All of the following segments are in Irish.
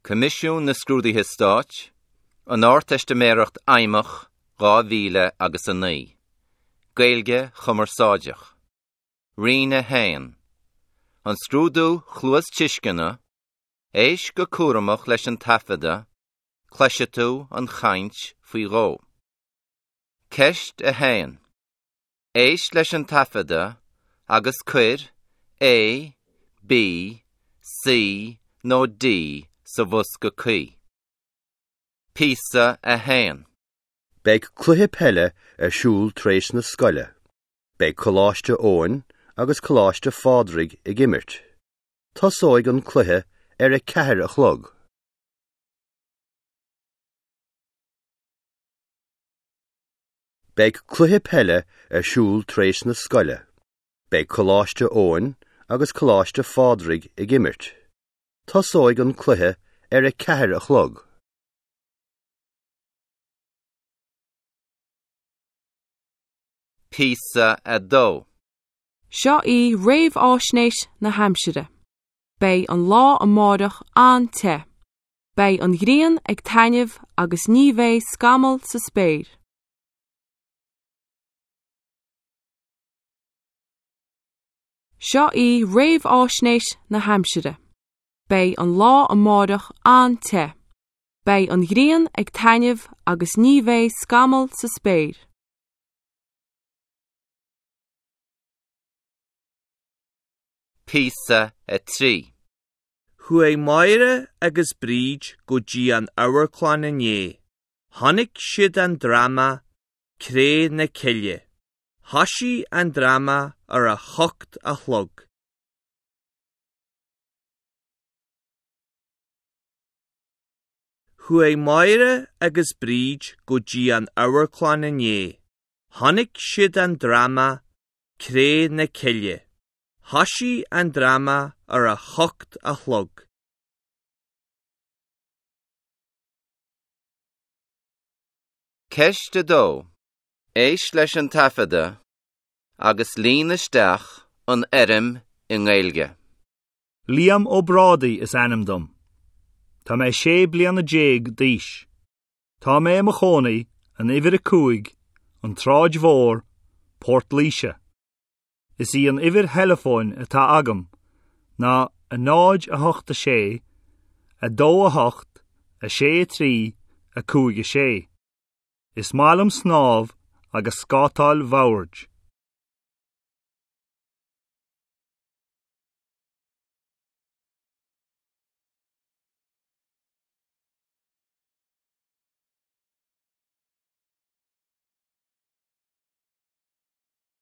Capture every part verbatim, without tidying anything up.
Coimisiún na Scrúduithe Stáit, an Ardteistiméireacht Fheidhmeach dhá mhíle agus a naoi. Gaeilge Chumarsáideach. Roinn a haon. An scrúdú cluastuisceana, éist go cúramach leis an taifeadadh, cloisfidh tú an chaint faoi dhó. Ceist a haon. Éist leis an taifeadadh agus cuir A, B, C nó D sa bhosca cuí. Píosa a haon. Beidh cluiche peile ar siúl tar éis na scoile. Beidh Coláiste Eoin agus Coláiste Phádraig ag imirt. Tosóidh an cluiche ar a ceathair a chlog. Beidh cluiche peile ar siúl tar éis na scoile. Beidh Coláiste Eoin agus Coláiste Phádraig ag imirt. Tosóidh an cluiche ar a ceathair a chlog. Píosa a dó. Seo í réamhaisnéis na haimsire. Beidh an lá amárach an-te. Beidh an ghrian ag taitneamh agus ní bheidh scamall sa spéir. Seo í réamhaisnéis na haimsire. Beidh an lá amárach an-te. Beidh an ghrian ag taitneamh agus ní bheidh scamall sa spéir. Píosa a trí. Chuaigh Máire agus Bríd go dtí an amharclann inné. Chonaic siad an dráma Cré na Cille. Thosaigh an dráma ar a hocht a chlog. Chuaigh Máire agus Bríd go dtí an amharclann inné. Chonaic siad an dráma Cré na Cille. Thosaigh an dráma ar a hocht a chlog. Ceist a dó. Éist leis an taifeadadh agus líon isteach an fhoirm i nGaeilge. Liam Ó Brádaigh is ainm dom. Tá mé sé bliana déag d'aois. Tá mé i mo chónaí in uimhir a cúig, an tSráid Mhór, Port Laoise. Is í an uimhir theileafóin atá agam ná a náid a hocht a sé, a dó a hocht, a sé a trí, a cúig a sé. Is maith liom snámh agus scátáil bhoird.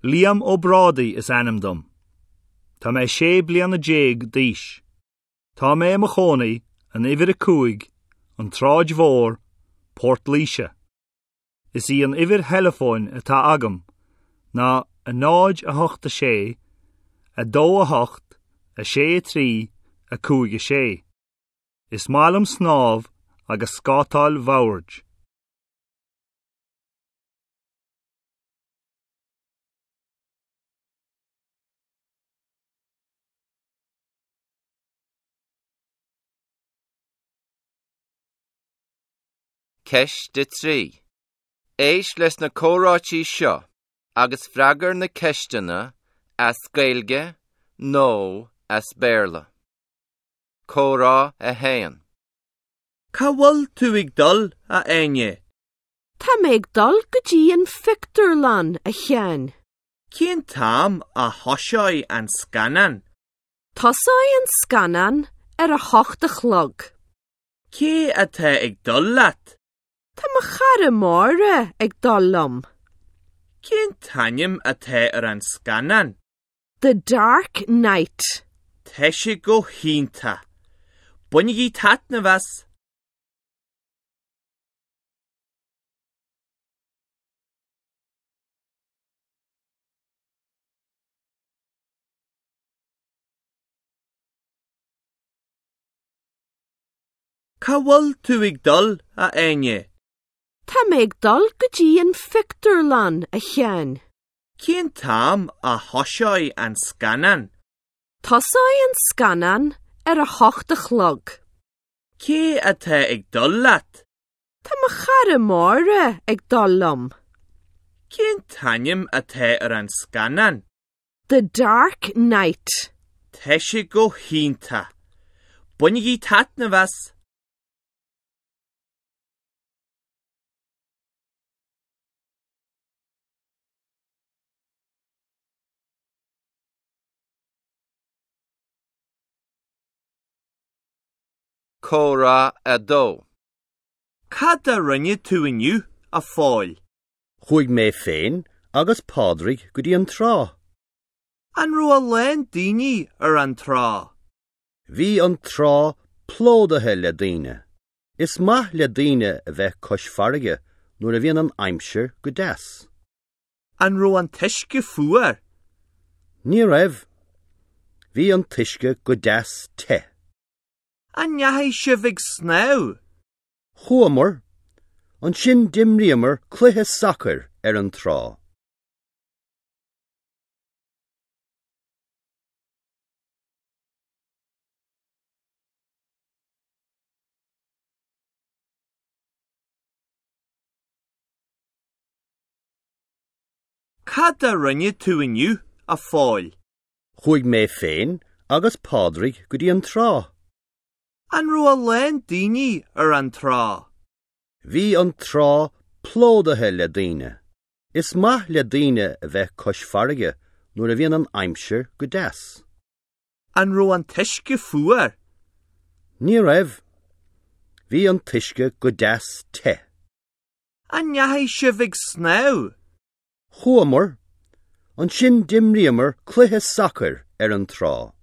Liam Ó Brádaigh is ainm dom. Tá mé sé bliana déag d'aois. Tá mé i mo chónaí in uimhir a cúig, an tSráid Mhór, Port Laoise. Is í an uimhir theileafóin atá agam ná a náid a hocht a sé, a dó a hocht, a sé a trí, a cúig a sé. Is maith liom snámh agus scátáil bhoird. Ceist a trí. Éist leis na comhráití seo agus freagair na ceisteanna as Gaeilge nó as Béarla. Comhrá a haon. Cá bhfuil tú ag dul a Áine? Tá mé ag dul go dtí an phictiúrlann a Sheáin. Cén t-am a thoseoidh an scannán? Tosóidh an scannán ar a hocht a chlog. Cé atá ag dul leat? Tá mo chara Máire ag dul liom. Cén t-ainm atá ar an scannán? The Dark Knight. Tá sé go hiontach. Bainigí taitneamh as. Cá bhfuil tú ag dul a Áine? Tá mé ag dul go dtí an phictiúrlann a Sheáin. Cén t-am a thoseoidh an scannán? Tosóidh an scannán ar a hocht a chlog. Cé atá ag dul leat? Tá mo chara Máire ag dul liom. Cén t-ainm atá ar an scannán? The Dark Knight. Tá sé go hiontach. Bainigí taitneamh as. Comhrá a dó. Cad a rinne tú inniu, a Phóil? Chuaigh mé féin agus Pádraig go dtí an trá. An raibh a lán daoine ar an trá? Bhí an trá plódaithe le daoine. Is maith le daoine a bheith cois farraige nuair a bhíonn an aimsir go deas. An raibh an t-uisce fuar? Ní raibh. Bhí an t-uisce go deas te. An ndeachaigh sibh ag snámh? Chuamar, ansin d'imríomar cluiche sacair ar an trá. Cad a rinne tú inniu, a Phóil? Chuaigh mé féin agus Pádraig go dtí an trá. An raibh a lán daoine ar an trá? Bhí an trá plódaithe le daoine. Is maith le daoine a bheith cois farraige nuair a bhíonn an aimsir go deas. An raibh an t-uisce fuar? Ní raibh. Bhí an t-uisce go deas te. An ndeachaigh sibh ag snámh? Chuamar, ansin d'imríomar cluiche sacair ar an trá.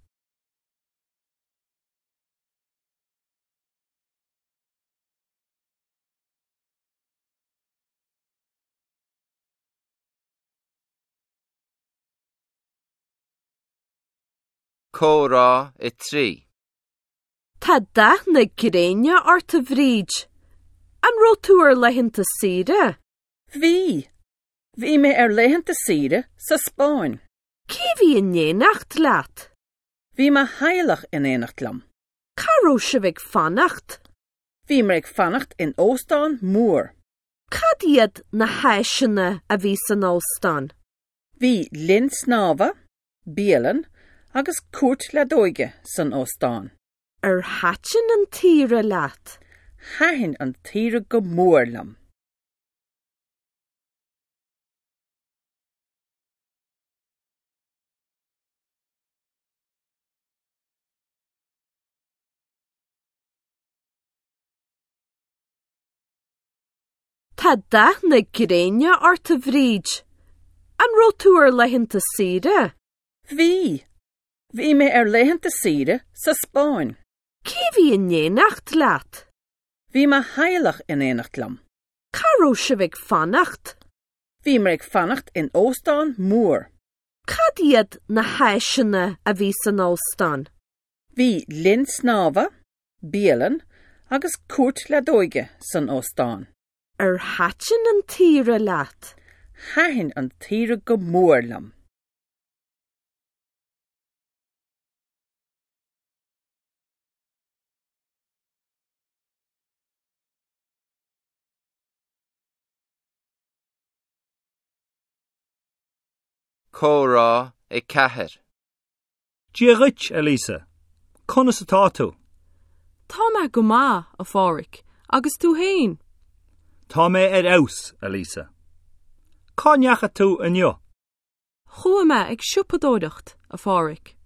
Comhrá a trí. Tá dath na gréine ort a Bhríd. An raibh tú ar laethanta saoire? Bhí. Bhí mé ar laethanta saoire sa Spáinn. Cé bhí in éineacht leat? Bhí mo theaghlach in éineacht liom. Cá raibh sibh ag fanacht? Bhí mé ag fanacht in óstán mór. Cad iad na háiseanna a bhí san óstán? Bhí linn snámha, bialann agus cúirt leadóige san óstán. Ar thaitin an tsaoire leat? Thaitin an tsaoire go mór liom. Tá dath na gréine ort a Bhríd. An raibh tú ar laethanta saoire? Bhí. Bhí mé ar laethanta saoire sa Spáinn. Cé bhí in éineacht leat? Bhí mo theaghlach in éineacht liom. Cá raibh sibh ag fanacht? Bhí mé ag fanacht in óstán mór. Cad iad na háiseanna a bhí san óstán? Bhí linn snámha, bialann agus cúirt leadóige san óstán. Ar thaitin an tsaoire leat? Thaitin an tsaoire go mór liom. Comhrá a ceathair. Dia dhuit, a Lisa. Conas atá tú? Tá mé go maith, a Phádraig, agus tú féin. Tá mé ar fheabhas, a Lisa. Cá ndeachaigh tú inniu? Chuaigh mé ag siopadóireacht, a Phádraig.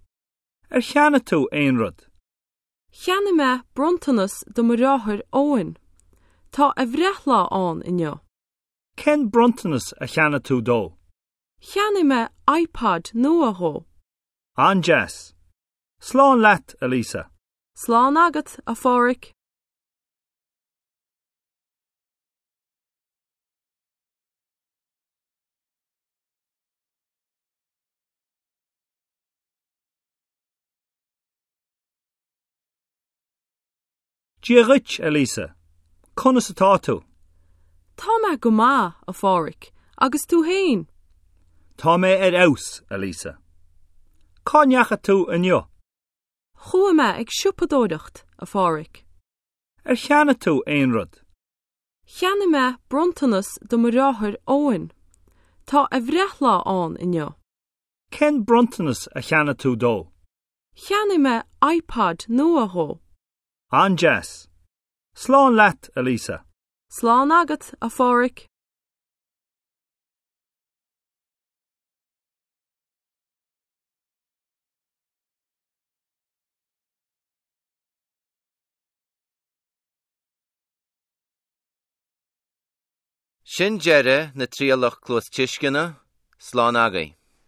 Ar cheannaigh tú aon rud? Cheannaigh mé bronntanas do mo dheartháir Eoin. Tá a bhreithlá ann inniu. Cén bronntanas a cheannaigh tú dó? Cheannaigh mé iPod nua dhó. An-deas. Slán leat, a Lisa. Slán agat, a Phádraig. Dia dhuit, a Lisa. Conas atá tú? Tá mé go maith, a Phádraig, agus tú féin. Tá mé ar fheabhas, a Lisa. Cá ndeachaigh tú inniu? Chuaigh mé ag siopadóireacht, a Phádraig. Ar cheannaigh tú aon rud? Cheannaigh mé bronntanas do mo dheartháir Eoin. Tá a bhreithlá ann inniu. Cén bronntanas a cheannaigh tú dó? Cheannaigh mé iPod nua dó. An-deas. Slán leat, a Lisa. Slán agat, a Phádraig. Sin deireadh na trialach cluastuisceana, slán agaibh.